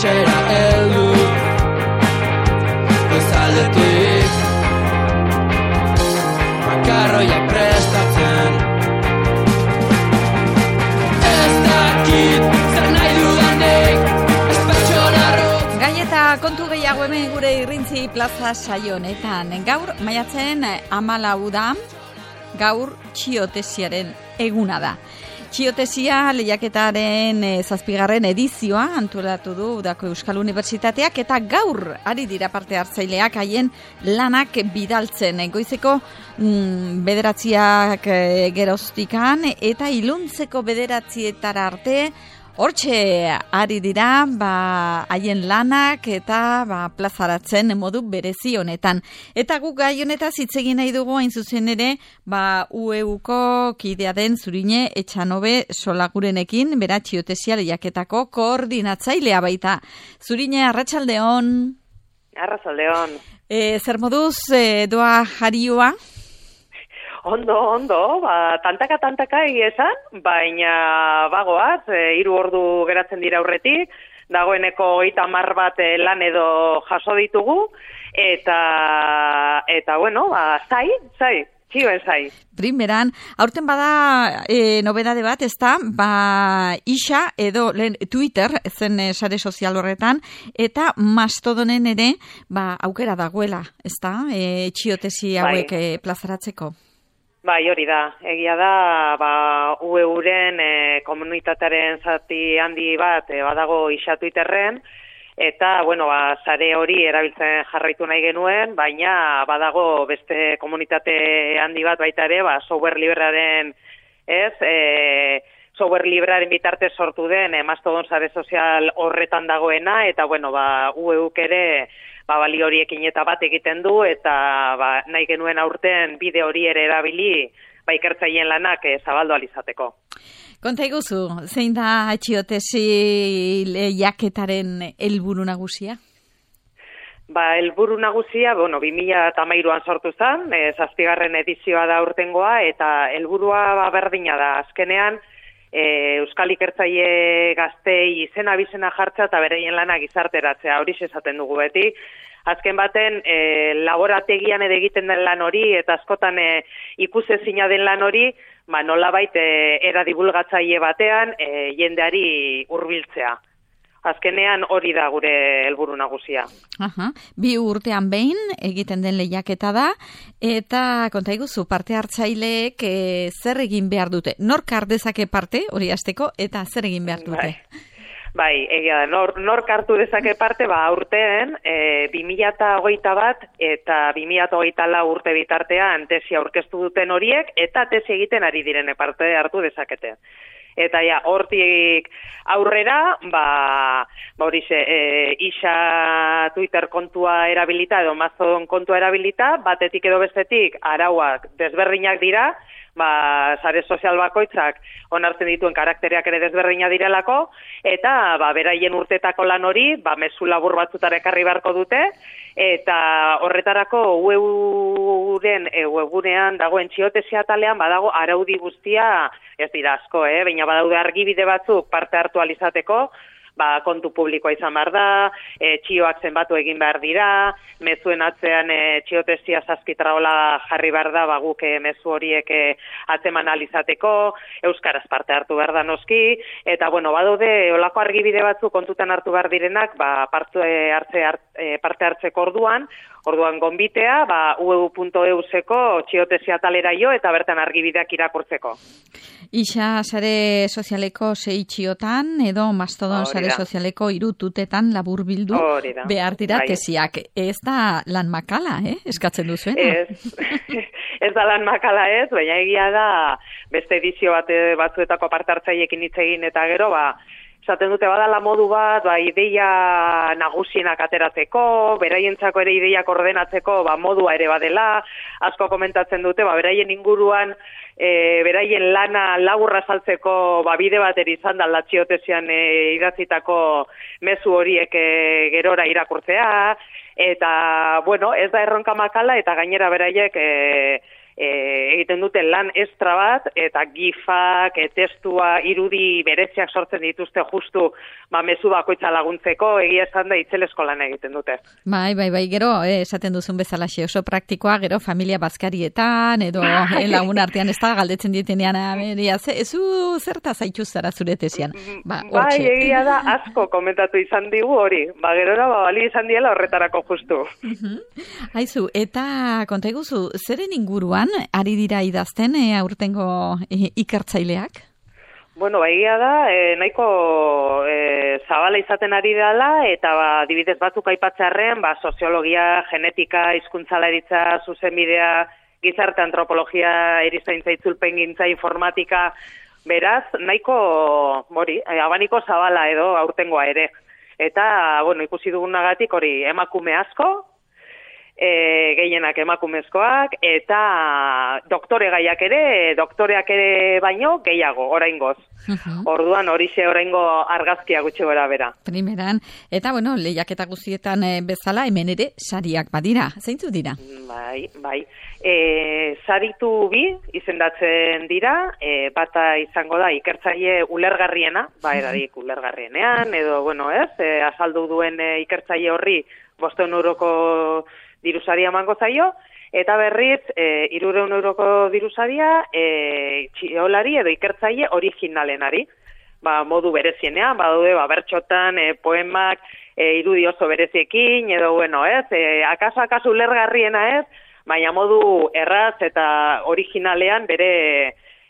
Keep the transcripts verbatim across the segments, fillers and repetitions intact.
etxera heldu goizaldetik makarroiak prestatzen ez dakit zer nahi dudanik ez pertsona arrotz. Gai eta kontu gehiago hemen gure Irrintzi plaza saio honetan. Gaur maiatzen hamalau da, gaur txiotesiaren eguna da. Txiotesia lehiaketaren e, zazpigarren edizioa antolatu du Udako Euskal Unibertsitateak eta gaur ari dira parte hartzaileak haien lanak bidaltzen. Goizeko mm, bederatziak e, geroztikan eta iluntzeko bederatzietara arte hortxe ari dira ba, haien lanak eta ba, plazaratzen modu berezi honetan. Eta guk gai honetaz hitz egin nahi dugu hain zuzen ere ba, U E Uko kidea den Zurine Etxanobe Solagurenekin, bera txiotesia lehiaketako koordinatzailea baita. Zurine, arratsaldeon. Arratsaldeon. E, zer moduz e, doa jarioa? Ondo, ondo, ba, tantaka tantaka egia esan, baina bagoaz, e, hiru ordu geratzen dira aurretik, dagoeneko hogeita hamar bat e, lan edo jaso ditugu, eta, eta bueno, ba, zai, zai, txioen zai. Primeran, aurten bada e, nobedade bat, ez da, ba, isa edo lehen Twitter, zen e, sare sozial horretan, eta Mastodonen ere, ba, aukera dagoela, ez da, e, txiotesi hauek bai. e, plazaratzeko. Bai, hori da. Egia da, ba, U E Uren e, komunitatearen zati handi bat e, badago isa Twitterren, eta, bueno, ba, sare hori erabiltzen jarraitu nahi genuen, baina badago beste komunitate handi bat baita ere, ba, software librearen, ez, e, software librearen bitartez sortu den, e, Mastodon sare sozial horretan dagoena, eta, bueno, ba, U E Uk ere, ba, bali horiekin eta bat egiten du, eta ba, nahi genuen aurten bide hori ere erabili, ba, ikertzaileen lanak e, zabaldu alizateko. Konta iguzu, zein da txiotesi lehiaketaren helburu nagusia? Ba, helburu nagusia, bueno, bi mila hamairuan sortu zen, e, zazpigarren edizioa da urtengoa, eta helburua ba, berdina da, azkenean, E, Euskal ikertzaile gaztei izena bizena jartza eta bereien lana gizarteratzea, hori esaten dugu beti. Azken baten, e, laborategian ere egiten den lan hori, eta askotan e, ikusezina den lan hori, ba, nolabait e, era divulgatzaile batean e, jendeari hurbiltzea. Azkenean hori da gure helburu nagusia. Aha. Bi urtean behin egiten den lehiaketa da, eta konta iguzu, parte hartzaileek e, zer egin behar dute? Nork har dezake parte, hori hasteko, eta zer egin behar dute? Bai, bai egia da, nor, nork hartu dezake parte, ba, urteen, e, bi mila hogeita bat eta bi mila hogeita lau urte bitartean tesi aurkeztu duten horiek, eta tesi egiten ari direne parte hartu dezakete. Eta ja, hortik aurrera, ba, ba hori ze, e, isa Twitter kontua erabilita edo Mastodon kontua erabilita, batetik edo bestetik arauak desberdinak dira, ba, sare sozial bakoitzak onartzen dituen karaktereak ere desberdina direlako, eta ba, beraien urtetako lan hori, ba, mezu labur batzutara ekarri beharko dute, eta horretarako U E Uren e, webunean dagoen txiotesia atalean badago araudi guztia, ez dira asko, eh? Baina badaude argibide batzuk parte hartu alizateko, ba, kontu publikoa izan behar da, e, txioak zenbatu egin behar dira, mezuen atzean e, txiotesia zazkitraola jarri behar da, ba, guk e, mezu horiek e, atzeman alizateko, euskaraz parte hartu behar da noski, eta, bueno, badaude, olako argibide batzuk kontutan hartu behar direnak, ba, parte, hartze, hart, e, parte hartzeko orduan, orduan gonbitea, ba, u e u puntu e u zeko txiotesia talera jo, eta bertan argibideak irakurtzeko. Isa sare sozialeko sei txiotan, edo Mastodon sare sozialeko irututetan labur bildu behar dira bai. Tesiak. Ez da lan makala, eh? Eskatzen duzuena. Ez, ez da lan makala ez, baina egia da beste edizio bat batzuetako parte hartzaileekin hitz egin eta gero, ba, esaten dute badala modu bat, ba, ideia nagusienak ateratzeko, beraientzako ere ideiak ordenatzeko, ba, modua ere badela, asko komentatzen dute, ba, beraien inguruan, e, beraien lana laburra saltzeko, ba, bide bat ere izan da latxiotesian e, idatzitako mezu horiek e, gerora irakurtzea, eta, bueno, ez da erronka makala, eta gainera beraiek, e, e, egiten dute lan estra bat, eta gifak, e, testua, irudi bereziak sortzen dituzte justu, ba, mezu bakoitza laguntzeko, egia esan da itzelesko lan egiten dute. Bai, bai, bai, gero, eh, esaten duzun bezalaxe oso praktikoa, gero familia bazkarietan, edo eh, lagun artean ez da, galdetzen ditenean, ameria, ze, ezu zerta zaitu zara zure tesian. Ba, bai, egia da, asko komentatu izan digu hori, ba, gerora, ba, bali izan diela horretarako justu. Aizu, eta konta iguzu, zeren inguruan ari dira idazten e, aurtengo e, ikertzaileak? Bueno, ba, egia da, e, nahiko e, zabala izaten ari dela, eta ba, adibidez batzuk aipatzearren, ba, soziologia, genetika, hizkuntzalaritza, zuzenbidea, gizarte antropologia, erizaintza, itzulpengintza, informatika, beraz, nahiko, hori, e, abaniko zabala edo aurtengoa ere. Eta, bueno, ikusi dugunagatik hori emakume asko, E, gehienak emakumezkoak, eta doktore gaiak ere, doktoreak ere baino gehiago, oraingoz. Uh-huh. Orduan horixe oraingo argazkia gutxi gora bera. Primeran, eta bueno, lehiaketa guztietan e, bezala hemen ere sariak badira, zeintzu dira? Bai, bai. E, saritu bi izendatzen dira, e, bata izango da ikertzaile ulergarriena, ba erarik ulergarrienean, edo bueno ez, e, azaldu duen e, ikertzaile horri bosteun euroko dirusaria emango zaio, eta berriz, e, hirurehun euroko dirusaria e, txiolari edo ikertzaile originalenari. Ba, modu berezienean, badaude, ba, bertxotan, e, poemak, e, irudi oso bereziekin, edo, bueno, ez, e, akaso, akaso ulergarriena ez, baina modu erraz eta originalean bere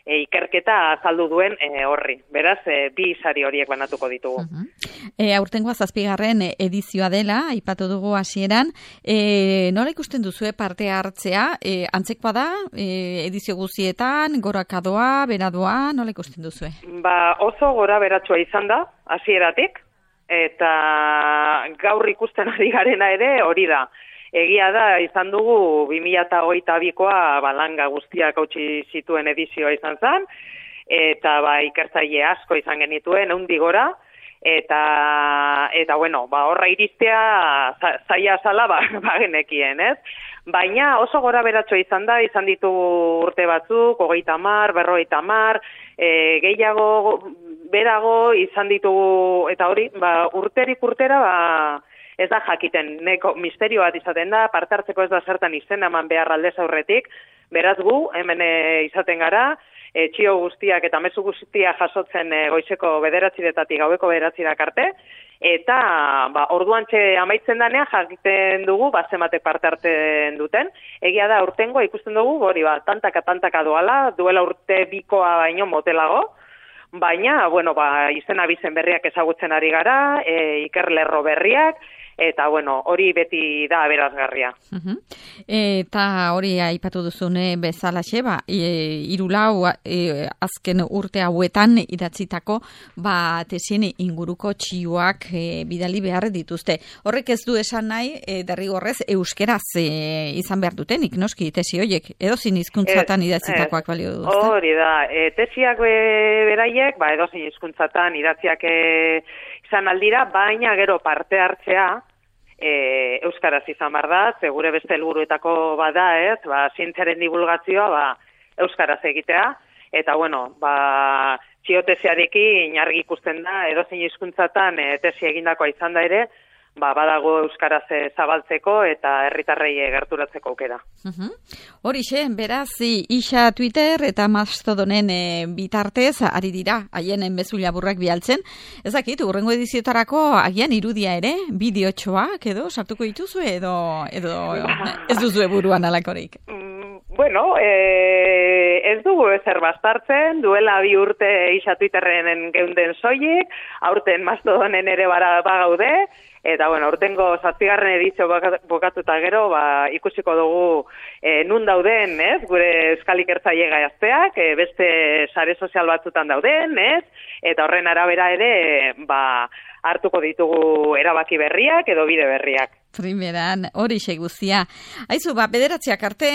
e, ikerketa azaldu duen e, horri. Beraz, e, bi sari horiek banatuko ditugu. Uh-huh. E, aurtengoa zazpigarren edizioa dela, aipatu dugu hasieran, e, nola ikusten duzue parte hartzea, e, antzekoa da, e, edizio guztietan, gorakadoa, beradoa, nola ikusten duzue? Ba, oso gora beratsua izan da, hasieratik, eta gaur ikusten ari garena ere hori da. Egia da, izan dugu bi mila hogeita bikoa balanga guztiak hautsi zituen edizioa izan zen, eta ba, ikertzaile asko izan genituen, eundi gora, eta, eta bueno, ba, horra iristea zaila zala ba, ba genekien, ez? Baina oso gora beratxo izan da, izan ditu urte batzuk, hogeita mar, berrogeita mar, e, gehiago, berago izan ditugu, eta hori, ba, urterik urtera, ba, ez da jakiten, neko misterio bat izaten da, parte hartzeko ez da zertan izena eman behar aldez aurretik, beraz gu, hemen e, izaten gara, e, txio guztiak eta mezu guztiak jasotzen e, goizeko bederatziretatik gaueko bederatzirak arte, eta ba, orduan txe amaitzen danean jakiten dugu, ba, zematek parte hartzen duten. Egia da, urtengoa ikusten dugu, hori ba, tantaka tantaka doala, duela urte bikoa baino motelago, baina, bueno, ba, izena bizen berriak ezagutzen ari gara, e, ikerlerro berriak, eta, bueno, hori beti da aberazgarria. Uh-huh. Eta hori aipatu duzune bezalaxe, ba, e, irulau e, azken urte hauetan idatzitako ba, tesien inguruko txioak e, bidali behar dituzte. Horrek ez du esan nahi, e, derrigorrez, euskeraz e, izan behar dutenik, noski, tesi horiek, edo zin hizkuntzatan idatzitakoak balio du. Hori da, e, tesiak be, beraiek, ba, edo zin hizkuntzatan idatziak e, izan aldira, baina gero parte hartzea, E, euskaraz izan behar da, segure beste helburuetako bada, ez, ba, zientziaren divulgazioa, ba, euskaraz egitea, eta, bueno, ba, txiotesiarekin argi ikusten da, edozein hizkuntzatan e, tesi egindakoa izan da ere, ba, badago euskaraz e, zabaltzeko eta herritarrei gerturatzeko aukera. Uh-huh. Horixe, beraz, isa Twitter eta Mastodonen e, bitartez ari dira, haien enbezu laburrak bialtzen. Ez dakit, urrengo ediziotarako agian irudia ere, bideotxoak edo, sartuko dituzue edo, edo ez duzue buruan alakorik? Bueno, e, ez dugu ezer bastartzen, duela bi urte isa Twitterren geunden soilik, aurten Mastodonen ere bara bagaude, eta, bueno, urtengo zazpigarren edizio bokatuta gero, ba, ikusiko dugu e, nun dauden, ez, gure euskal ikertzaile gazteak, e, beste sare sozial batzutan dauden, ez, eta horren arabera ere, ba, hartuko ditugu erabaki berriak edo bide berriak. Primeran, hori guztia. Aizu, ba, bederatziak arte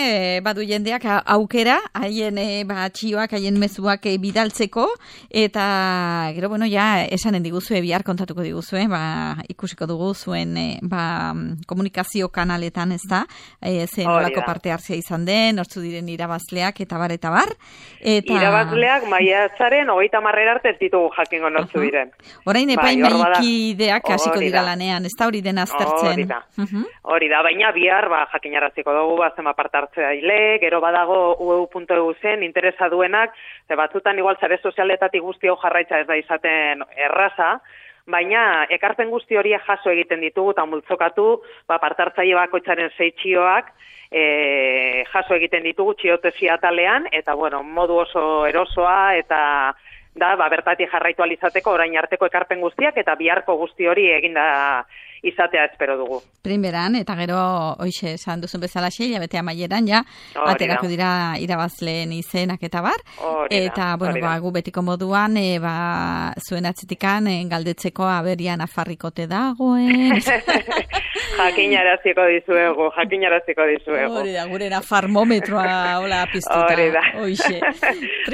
badu jendeak aukera, haien e, ba, txioak, haien mezuak e, bidaltzeko, eta gero, bueno, ja, esanen diguzue, bihar kontatuko diguzue, ba, ikusiko dugu dugu zuen e, ba, komunikazio kanaletan, ez da? E, zen nolako parte hartzea izan den, nortzu diren irabazleak eta bar, eta bar. Eta... Irabazleak maiatzaren hogeita hamarrera arte ez ditugu jakingo nortzu uh-huh. diren. Orain epaimaikideak hasiko dira lanean, ez da hori den aztertzen? Hori da, uh-huh. hori da, baina bihar ba, jakinaraziko dugu bazema parte hartzea ile, gero badago u e u puntu e u zen interesa duenak, ze batzutan igual zare sozialetatik guzti hau jarraitza ez da izaten erraza, baina ekarpen guzti horiek jaso egiten ditugu eta multzokatu, ba, parte hartzaile bakoitzaren sei txioak, e, jaso egiten ditugu txiotesi atalean, eta bueno, modu oso erosoa eta da, ba, bertatik jarraitu alizateko orain arteko ekarpen guztiak eta biharko guzti hori eginda izatea espero dugu. Primeran, eta gero, hoxe, esan duzun bezala xeila, bete amaieran, ja, aterako dira irabazleen izenak eta bar. Orida, eta, bueno, ba, gu betiko moduan, e, ba, zuen atzetikan, e, galdetzeko aberian afarrikote dagoen. Jakinaraziko dizuegu, jakinaraziko dizuegu. Hori da, gure nafarmometroa hola piztuta. Hori da. Hoxe.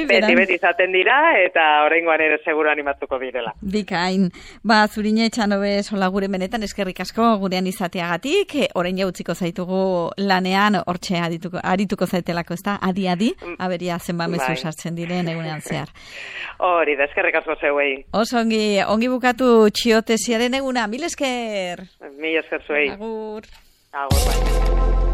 Beti, beti izaten dira, eta oraingoan ere seguru animatuko direla. Bikain. Ba, Zurine Etxanobe sola gure benetan eskerrik asko gurean izateagatik, orain jautziko zaitugu lanean, hortxe arituko, arituko zaitelako, ez da? Adi-adi, aberia zenba mezu bai. Sartzen diren egunean zehar. Hori da, eskerrik asko zeuei. Oso ongi, ongi bukatu txiotesiaren eguna, mil esker. Mil esker zuei. Agur. Agur, bai.